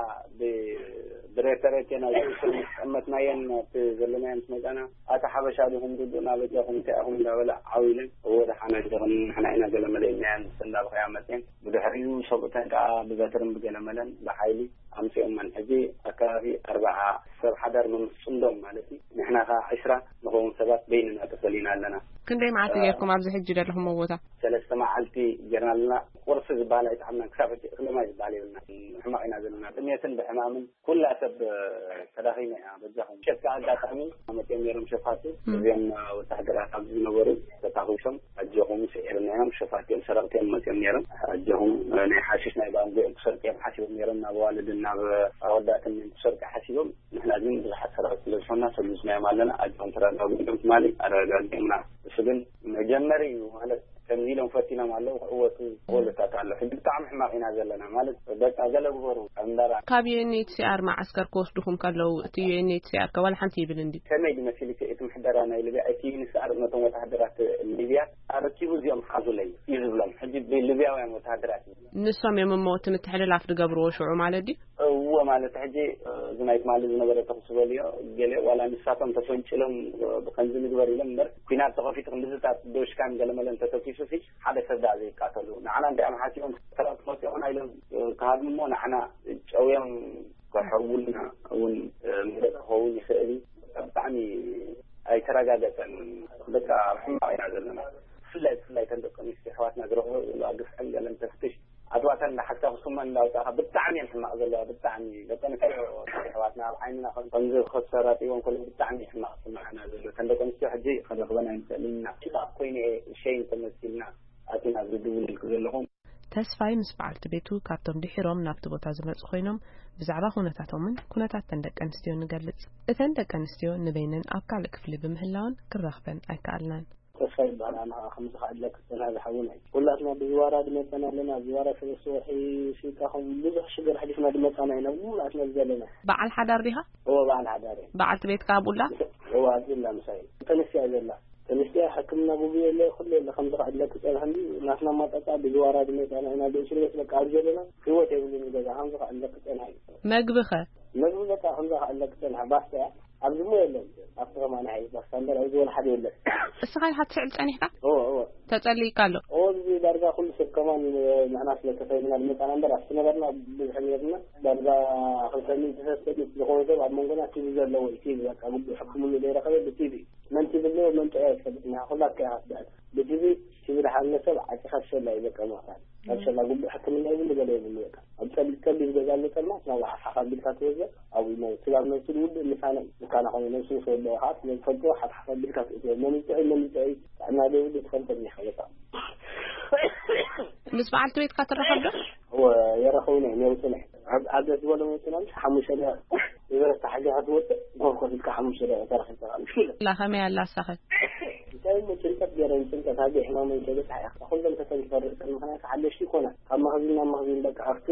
ብሬተሬቴ ናይ ዝእሰር ምስ ቀመጥናየን ኣብቲ ዘለናዮ ምስ መጻና፣ ኣታ ሓበሻ ዲኹም ዱዱና በጃኹም እንታይ ኢኹም እንዳበለ ዓው ኢለን፣ እወ ደሓን ኣጆኽን ንሕና ኢና ገለ መለ ኢልናየን እንዳበኸያ መጽየን። ብድሕሪኡ ሰብኡተን ከኣ ብበትርን ብገለ መለን ብሓይሊ ኣምጺኦመን። ሕጂ ኣከባቢ ኣርብዓ ሰብ ሓዳር ምምስ ጽምዶም ማለት እዩ። ንሕና ከኣ ዕስራ ንኸውን ሰባት በይንና ተፈሊና ኣለና። ክንደይ መዓልቲ ጌርኩም ኣብዚ ሕጂ ዘለኹምዎ ቦታ? ሰለስተ መዓልቲ ጌርና ኣለና። ቁርሲ ዝበሃል ኣይጠዓምናን። ክሳብ ሕጂ እኽሊ ማይ ዝበሃል የብልና። ሕማቕ ኢና ዘለና። ጥሜትን ብሕማምን ኩላ ሰብ ተዳኺማ እያ። በጃኹም። ሸካ ኣጋጣሚ መፅኦም ነይሮም ሸፋቱ። እም። እዚኦም ወታደራት ኣብዚ ዝነበሩ ተታኺሶም ኣጆኹም ስዒርናዮም። ሸፋት እዮም፣ ሰረቕቲ እዮም መፅኦም ነይሮም። ኣጆኹም፣ ናይ ሓሽሽ ናይ ባንጎ እዮም ክሰርቁ እዮም ሓሲቦም ነይሮም። ናብ ኣዋልድን ናብ ኣወዳትን እዮም ክሰርቁ ሓሲቦም። ንሕና ግን ብዙሓት ሰረቕቲ ስለ ዝኾንና ሰሊስናዮም ኣለና። ኣጆኹም ተረጋግኡ ኢሎም ትማሊ ኣረጋጊኦምና። እሱ ግን መጀመሪ እዩ ማለት ከምዚ ኢሎም ፈቲኖም ኣለዉ ክዕወቱ ክወልታት ኣሎ። ሕጂ ብጣዕሚ ሕማቕ ኢና ዘለና ማለት በቃ ገለ ግበሩ እምበራ። ካብ ዩ ኤን ኤች ሲ ኣር መዓስከር ክወስዱኹም ከለዉ እቲ ዩ ኤን ኤች ሲ ኣር ከ ዋላ ሓንቲ ይብል እንዲ? ከመይ ድመሲል እቲ እቲ ምሕደራ ናይ ሊብያ እቲ ዩ ኤን ኤች ሲ ኣር ነቶም ወተሃደራት ሊብያ ኣረኪቡ እዚኦም ሓዙለይ እዩ ዝብሎም። ሕጂ ብሊብያውያን ወተሃደራት እዩ። ንሶም እዮም እሞ እቲ ምትሕልላፍ ዝገብርዎ ሽዑ ማለት ድዩ? እዎ ማለት ሕጂ እዚ ናይ ትማሊ ዝነበረ ተኹሲ በልዮ ገለ ዋላ ንሳቶም ተፈንጭሎም ብከምዚ ንግበር ኢሎም እምበር ኩናት ተኸፊቱ ክንድዝታት ዶሽካን ገለመለን ተተኪሱ ሲ ሓደ ሰብ ደኣ ዘይቃተሉ። ንዓና እንታይ እዮም ሓሲቦም ሰባት መፂኦምና ኢሎም ክሃድሙ እሞ ንዓና ጨውዮም ክሕርቡልና እውን መደብ ክኸውን ይኽእል እዩ። ብጣዕሚ ኣይተረጋገፀን። በቃ ኣብ ሕማቕ ኢና ዘለና። ብፍላይ ብፍላይ ተን ደቂ ኣንስትዮ ኣሕዋትና ዝረኽቦ ዘለዋ ግፍዕን ገለን ተፍትሽ ኣትዋተን እንዳሓዝካ ክስመን እንዳውፃእካ ብጣዕሚ እየን ሕማቕ ዘለዋ። ብጣዕሚ ደቂ ኣንስትዮ ኣሕዋትና ኣብ ዓይንና ከም ከምዚ ክሰራጢዎም ከሎ ብጣዕሚ ሕማቕ ስምዓና ዘሎ። ተን ደቂ ኣንስትዮ ሕጂ ክንረኽበን ኣይንኽእልን ኢና። ሽቓቕ ኮይኑ እየ ሸይን ተመሲልና ኣቲና ኣብዚ ድውልልክ ዘለኹም። ተስፋይ ምስ በዓልቲ ቤቱ ካብቶም ድሒሮም ናብቲ ቦታ ዝመጹ ኮይኖም ብዛዕባ ኩነታቶምን ኩነታት ተን ደቂ ኣንስትዮ ንገልጽ። እተን ደቂ ኣንስትዮ ንበይነን ኣብ ካልእ ክፍሊ ብምህላወን ክራኽበን ኣይከኣልናን። ተስፋ ይበሃል። ኣነ ኸዓ ከምዚ ኸዓ ኢለ ክጸንሐ ዝሓውና እዩ። ኩላትና ብዝዋራ ድመጸና ኣለና። ኣብ ዝዋራ ሰለስተ ወርሒ ስኢንካ ከም ብዙሕ ሽግር ኣሕሊፍና ድመጻና ኢና። ብሙሉኣትና ዘለና። በዓል ሓዳር ዲኻ? እወ፣ በዓል ሓዳር እየ። በዓልቲ ቤትካ ኣብኡ ኣላ? እወ፣ ኣብኡ ኣላ ምሳይ። ተነስያ ዘላ። ተነስያ ሕክምና ግቡእ የለ፣ ኩሉ የለ። ከምዚ ኸዓ ኢለ ክጸንሐ እንዲ ናትና ኣማጻጽኣ ብዝዋራ ድመጻና ኢና። ብእስር ቤት በቃ ኣብ ዘለና ህይወት የብሉን ገዛ። ከምዚ ኸዓ ኢለ ክጸንሐ እዩ። መግቢ ኸ? መግቢ በቃ ከምዚ ኸዓ ኢለ ክጸንሐ ባስታ እያ። ኣብዚ እሞ የለን። ኣብቲ ከማን ሓይሽ ባስታ እምበር ኣብዚ ወላ ሓደ የለን። እስኻ ኢኻ ትስዕል ጸኒሕካ? እወ፣ እወ። ተጸሊእካ ኣሎ? እወ፣ እዚ ዳርጋ ኩሉ ሰብ ከማን ንሕና ስለ ተፈይምና ዝመጻና እምበር ኣብቲ ነበርና ብዙሕ ነርና። ዳርጋ ክልተ ሚእቲ ሰለስተ ሚእቲ ዝኸውን ሰብ ኣብ መንጎና ቲቪ ዘለዎ እዩ። ቲቪ በቃ ግቡእ ሕክምኑ ዘይረኸበ ብቲቪ። መን ቲቪ ኣለዎ መን ጥዑይ ኣይትፈልጥን ኢኻ። ኩላትካ ኢኻ ትስዕል። ብቲቪ ቲቪ ድሓነ ሰብ ዓጺኻ ትሸላ እዩ በቃ ምኽፋል። ካብ ሸላ ግቡእ ሕክምና የብሉ ገለ የብሉ በቃ። ኣብ ጸቢብ ጸቢብ ገዛ ኣሎ ጸልማት ናብ ሓፋ ቢልካ ትወዘ ኣብኡ ናይ ስጋብ ነብሱ ዝውድእ ምሳና እዩ። ምሳና ኾነ ነብሱ ምስ ወደአ ኸዓ ስለ ዝፈልጥዎ ሓፍ ሓፍ ኣቢልካ ትእትዮ። መን ይጥዕይ መን ይጥዕይ ጥዕና ዘይብሉ ትፈልጦ እኒኻ በቃ። ምስ በዓልቲ ቤትካ ትራኸብ ዶ? እወ የራኸቡና እዮም የውፅኡና እዮም። ኣብ ዓገስ ዝበሎም የውፅኡና ምስ ሓሙሽተ ደቂቕ ዝበረታ ሓጊኻ ትወፅእ ኮርኮር ኢልካ ሓሙሽተ ደቂቕ ተረኺብካ ምሽ ኢለ። ላ ከመይ ኣላ እሳኸ? እንታይ እሞ ጭንቀት ገይረን ጭንቀት ኣበይ ሕማመን ከይበፅሓ እያ። ኩሎም ተሰንኪፈ ርእሰን ምኽንያቱ ሓደሽቲ ይኮና ካብ መኽዚን ናብ መኽዚን በቃ ኣብቲ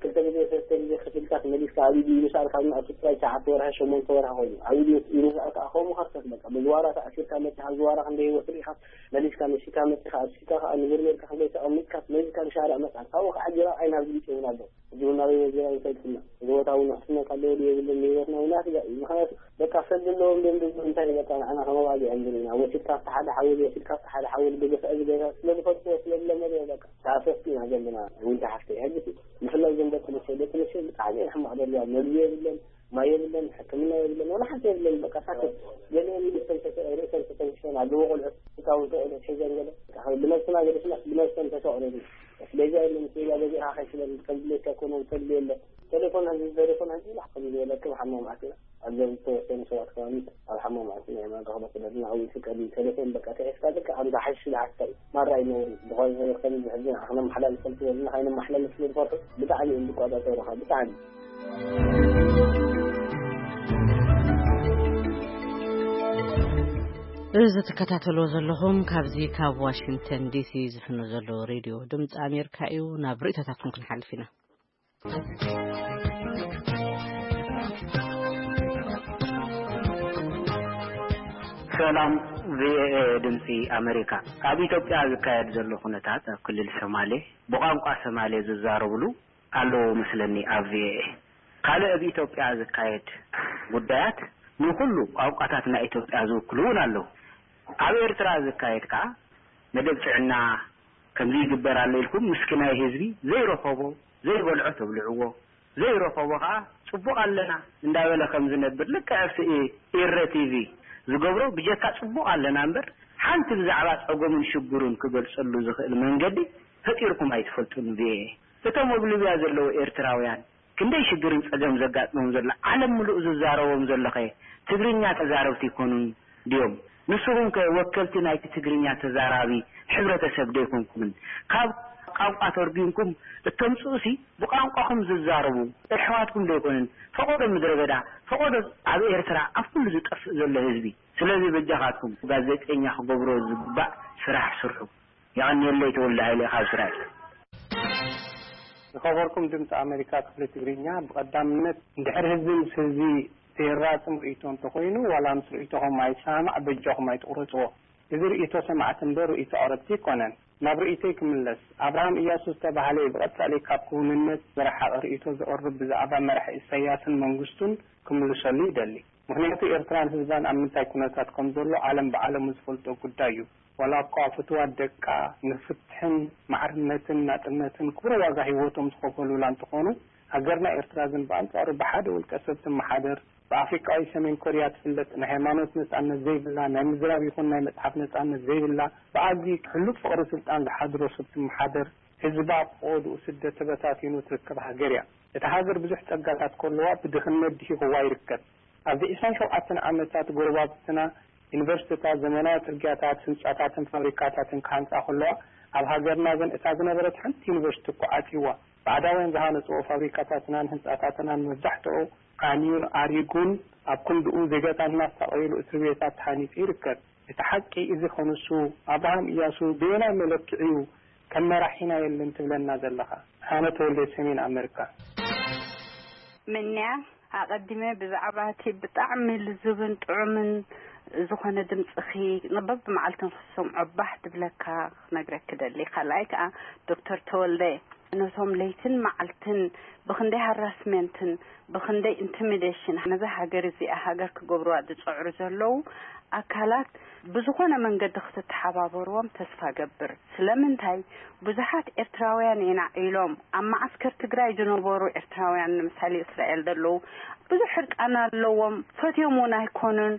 ክልተ ግዜ ሰለስተ ግዜ ከፊልካ ተመሊስካ ኣብ ኢዱ ኢሉ ሰኣልካ ኣብ ኣብቲ ጥራይ ትሽዓተ ወርሒ ሸሞንተ ወርሒ ኮይኑ ኣብ ኢዱ ኢሉ ሰኣልካ ከምኡ ከርተት በቃ ብዝዋራ ተኣሲርካ መፂኻ ዝዋራ ክንደይ ህይወት ርኢኻ መሊስካ መሲካ መፂኻ ኣብሲካ ከዓ ንብር ጌርካ ክንደይ ተቐሚጥካ መሊስካ ንሻርዕ መፅኣል ካብኡ ከዓ ጅራ ዓይን ኣብ ግልፂ ይብል ኣሎ። ሕጂ እውን ናበይ ወዚራ ይፈልጥና እዚ ቦታ እውን ውሕስነት ኣለዎ ድዩ የብሉን ንህይወትና እውን ኣስጋእ እዩ። ምክንያቱ በቃ ሰብ ዘለዎም ደም ደም እንታይ በቃ ንዓና ከመባልዕ እዮም ዘለና ወሲድካ ኣብቲ ሓደ ሓውል ወሲድካ ኣብቲ ሓደ ሓውል ብግፍዒ ዝገዛ ስለ ዝፈልጥዎ ስለ ዝለመድዎ በቃ ተኣሰስቲ ኢና ዘለና። ዊንታ ሓፍተይ ሕጂ ብፍላይ እዞም ደቂ ኣንስትዮ ደቂ ኣንስትዮ ብጣዕሚ እየን ሕማቕ ዘለዋ መግቢ የብለን ማይ የብለን ሕክምና የብለን ወላ ሓንቲ የብለን በቃ ሳክት ገሊኦም ርእሰን ተተ- ርእሰን ተተንኪፈን ኣለዎ ቆልዑት ህፃውንቲ ቆልዑት ሒዘን ገለ ብነብስና ገዲፍና ብነብሰን ተሰቕረን ኣስቤዛ የለን ኬላ ገዚእኻ ከይስለን ከም ድሌትካ ኮነ ተድልዮ የለን። ቴሌፎን ሕዚ ቴሌፎን ሕዚ ኢላ ከም ዝበለክም ሓማም ኣቲና ኣብዚ ዝተወሰኑ ሰባት ከባቢ ኣብ ሓማም ኣቲና ኢና ንረኽቦ ስለዚ ንዓው ይፍቀድ እዩ ቴሌፎን በቃ ተሒዝካ ዝካ ኣምዛ ሓሽሽ ዝሓትካ እዩ ማራ እዩ ነውሪ ዝኾነ ነገር ከም እዚ ሕዚ ንዓኽና መሓላልፈል ዝበልና ካይነ መሓላልፍ ስለ ዝፈርሑ ብጣዕሚ እዮም ዝቆጻጸሩኻ ብጣዕሚ። እዚ ትከታተልዎ ዘለኹም ካብዚ ካብ ዋሽንግተን ዲሲ ዝፍኖ ዘሎ ሬድዮ ድምፂ ኣሜሪካ እዩ። ናብ ርእይቶታትኩም ክንሓልፍ ኢና። ሰላም ቪኦኤ ድምፂ ኣሜሪካ። ኣብ ኢትዮጵያ ዝካየድ ዘሎ ኩነታት ኣብ ክልል ሶማሌ ብቋንቋ ሶማሌ ዝዛረብሉ ኣለዉ መስለኒ ኣብ ቪኦኤ። ካልእ ኣብ ኢትዮጵያ ዝካየድ ጉዳያት ንኹሉ ቋንቋታት ናይ ኢትዮጵያ ዝውክሉ እውን ኣለዉ። ኣብ ኤርትራ ዝካየድ ከኣ መደብ ጥዕና ከምዚ ይግበር ኣሎ ኢልኩም ምስኪናይ ህዝቢ ዘይረኸቦ ዘይበልዖ ተብልዕዎ፣ ዘይረኸቦ ከኣ ጽቡቕ ኣለና እንዳበለ ከም ዝነብር ልክዕ ኣብቲ ኤረ ቲቪ ዝገብሮ ብጀካ ጽቡቕ ኣለና እምበር ሓንቲ ብዛዕባ ጸገሙን ሽግሩን ክገልጸሉ ዝኽእል መንገዲ ፈጢርኩም ኣይትፈልጡን። ቪኦኤ እቶም ኣብ ሊብያ ዘለዉ ኤርትራውያን ክንደይ ሽግርን ጸገም ዘጋጥሞም ዘሎ ዓለም ምሉእ ዝዛረቦም ዘለኸ ትግርኛ ተዛረብቲ ይኮኑን ድዮም? ንስኹም ከ ወከልቲ ናይቲ ትግርኛ ተዛራቢ ሕብረተሰብ ዶ ይኮንኩምን? ካብ ቋንቋ ተርጒምኩም እተምጽኡሲ ብቋንቋኹም ዝዛረቡ ኣሕዋትኩም ዶ ይኮኑን? ፈቐዶ ምድረ በዳ፣ ፈቐዶ ኣብ ኤርትራ ኣብ ኩሉ ዝጠፍእ ዘሎ ህዝቢ። ስለዚ በጃኻትኩም ጋዜጠኛ ክገብሮ ዝግባእ ስራሕ ስርሑ። የቐንየለይ ተወልደ ሃይለ ካብ እስራኤል። ዝኸበርኩም ድምፂ ኣሜሪካ ክፍሊ ትግርኛ፣ ብቐዳምነት እንድሕር ህዝቢ ምስ ህዝቢ ዘይራፅም ርእይቶ እንተኾይኑ፣ ዋላ ምስ ርእይቶኹም ኣይሰማማዕ፣ በጃኹም ኣይትቑረፅዎ። እዚ ርእይቶ ሰማዕቲ እምበር ርእይቶ ኣቕረብቲ ኣይኮነን። ናብ ርእይቶይ ክምለስ፣ ኣብርሃም እያሱ ዝተባህለ ብቐጻሊ ካብ ክውንነት ዝረሓቐ ርእይቶ ዘቕርብ ብዛዕባ መራሒ ኢሳያስን መንግስቱን ክምልሰሉ ይደሊ። ምኽንያቱ ኤርትራን ህዝባን ኣብ ምንታይ ኩነታት ከም ዘሎ ዓለም ብዓለሙ ዝፈልጦ ጉዳይ እዩ። ዋላ እኳ ፍትዋት ደቃ ንፍትሕን ማዕርነትን ናጽነትን ክቡር ዋጋ ህይወቶም ዝኸፈሉላ እንተኾኑ፣ ሃገርና ኤርትራ ግን ብኣንጻሩ ብሓደ ውልቀ ሰብ ትመሓደር፣ ብኣፍሪቃዊ ሰሜን ኮርያ ትፍለጥ፣ ናይ ሃይማኖት ነጻነት ዘይብላ፣ ናይ ምዝራብ ይኹን ናይ መጽሓፍ ነጻነት ዘይብላ፣ ብኣዝዩ ሕሉፍ ፍቕሪ ስልጣን ዝሓድሮ ሰብ ትመሓደር፣ ህዝባ ብቆድኡ ስደት ተበታቲኑ ትርከብ ሃገር እያ። እታ ሃገር ብዙሕ ጸጋታት ከለዋ ብድኽነት ድሂኽዋ ይርከብ። ኣብዚ ዕስራን ሸውዓተን ዓመታት ጎረባብትና ዩኒቨርሲቲታት፣ ዘመናዊ ጽርግያታት፣ ህንጻታትን ፋብሪካታትን ክሃንጻ ከለዋ፣ ኣብ ሃገርና ግን እታ ዝነበረት ሓንቲ ዩኒቨርሲቲ እኮ ዓጽይዋ። ባዕዳውያን ዝሃነጽዎ ፋብሪካታትናን ህንጻታትናን መብዛሕትኡ ዓንዩን ኣሪጉን ኣብ ክንድኡ ዜጋታት እናሳቐዩሉ እስር ቤታት ተሃኒጹ ይርከብ። እቲ ሓቂ እዚ ከንሱ ኣብርሃም እያሱ በየናይ መለክዒ እዩ ከም መራሒና የለን ትብለና ዘለኻ? ኣነ ተወልደ ሰሜን ኣመሪካ። ምንያ ኣቐዲመ ብዛዕባ እቲ ብጣዕሚ ልዙብን ጥዑምን ዝኾነ ድምፅኺ በብመዓልትን ክሰምዖ ባህ ድብለካ ክነግረኪ ደሊ። ካልኣይ ከዓ ዶክተር ተወልደ ነቶም ለይትን መዓልትን ብኽንደይ ሃራስሜንትን ብኽንደይ ኢንቲሚዴሽን ነዛ ሃገር እዚኣ ሃገር ክገብርዋ ዝፅዕሩ ዘለዉ ኣካላት ብዝኾነ መንገዲ ክትተሓባበርዎም ተስፋ ገብር። ስለምንታይ ብዙሓት ኤርትራውያን ኢና ኢሎም ኣብ መዓስከር ትግራይ ዝነበሩ ኤርትራውያን ንምሳሌ እስራኤል ዘለዉ ብዙሕ ሕርቃን ኣለዎም፣ ፈትዮም እውን ኣይኮኑን።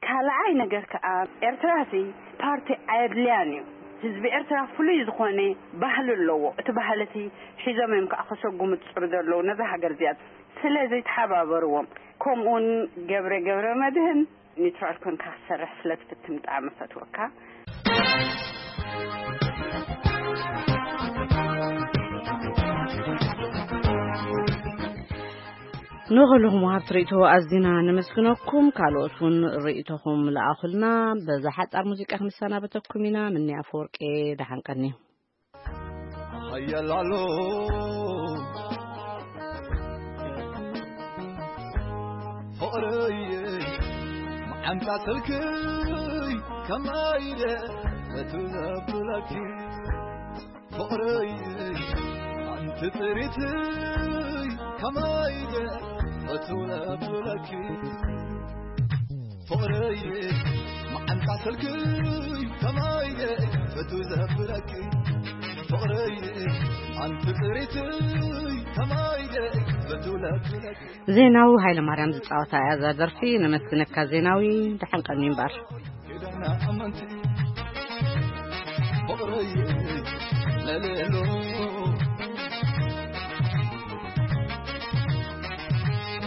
ካልኣይ ነገር ከዓ ኤርትራ ሲ ፓርቲ ኣየድልያን እዩ። ህዝቢ ኤርትራ ፍሉይ ዝኾነ ባህሊ ኣለዎ። እቲ ባህሊ እቲ ሒዞም እዮም ከዓ ከሰጉሙ ዝፅሩ ዘለዉ ነዛ ሃገር እዚኣ። ስለዚ ተሓባበርዎም። ከምኡውን ገብረ ገብረ መድህን ኒውትራል ኮንካ ክትሰርሕ ስለ ትፍትን ብጣዕሚ ፈትወካ። ንኹልኹም ወሃብቲ ርእይቶ ኣዚና ነመስግነኩም። ካልኦት እውን ርእይቶኹም ለኣኹልና። በዛ ሓጻር ሙዚቃ ክንሰናበተኩም ኢና። ምንያ ኣፈወርቄ ደሓን ቀኒ። ሓያል ኣሎ ፍቕረይ መዓንጣ ስልክይ ከማይ ኢለ በቱ ዘብለኪ ፍቕረይ ኣንቲ ጥሪትይ ከማይ ኢለ በቱ ዘብለኪ ፍቕረይ መዓንጣ ስልክይ ከማይ ኢለ በቱ ዘብለኪ ፍቕረይ ኣንቲ ጥሪትይ ከማይ ኢለ በቱ ዘብለኪ ዜናዊ ሃይለ ማርያም ዝጻወታ እያ እዛ ደርፊ። ነመስግነካ ዜናዊ፣ ደሓን ቀኒ እምበር። ኪዳና ኣመንቲ ፍቕረይ ለሌሎ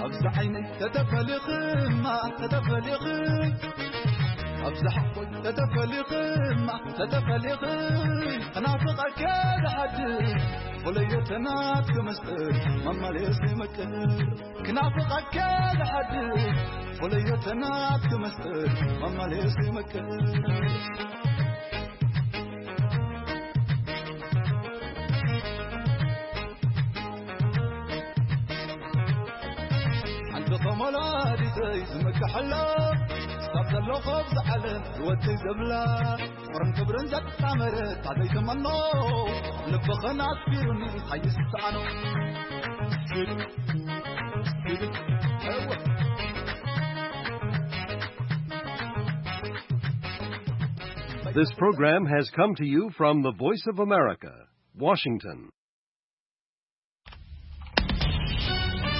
ኣብዚ ዓይነይ ተተፈሊኽማ ተተፈሊኽይ ኣብዚ ሓቆይ ተተፈሊኽማ ተተፈሊኽይ ክናፍቐከ ዝሓድር ፍለዮ ተናትኪ ምስጢር መመልሲ ምቅር ክናፍቐከ ዝሓድር ፍለዮ ተናትኪ ምስጢር መመልሲ ምቅር ሓንቲ ከም ወላዲተይ ዝምክሐላ ክሳብ ዘለኹ ኣብዚ ዓለም ህይወተይ ዘብላ ፍቕርን ክብርን ዘጣመረ ታዘይ ተመኖ ኣብ ልብኽን ኣስፊሩኒ ሓይስ ዝሰኣኖ This program has come to you from the Voice of America, Washington.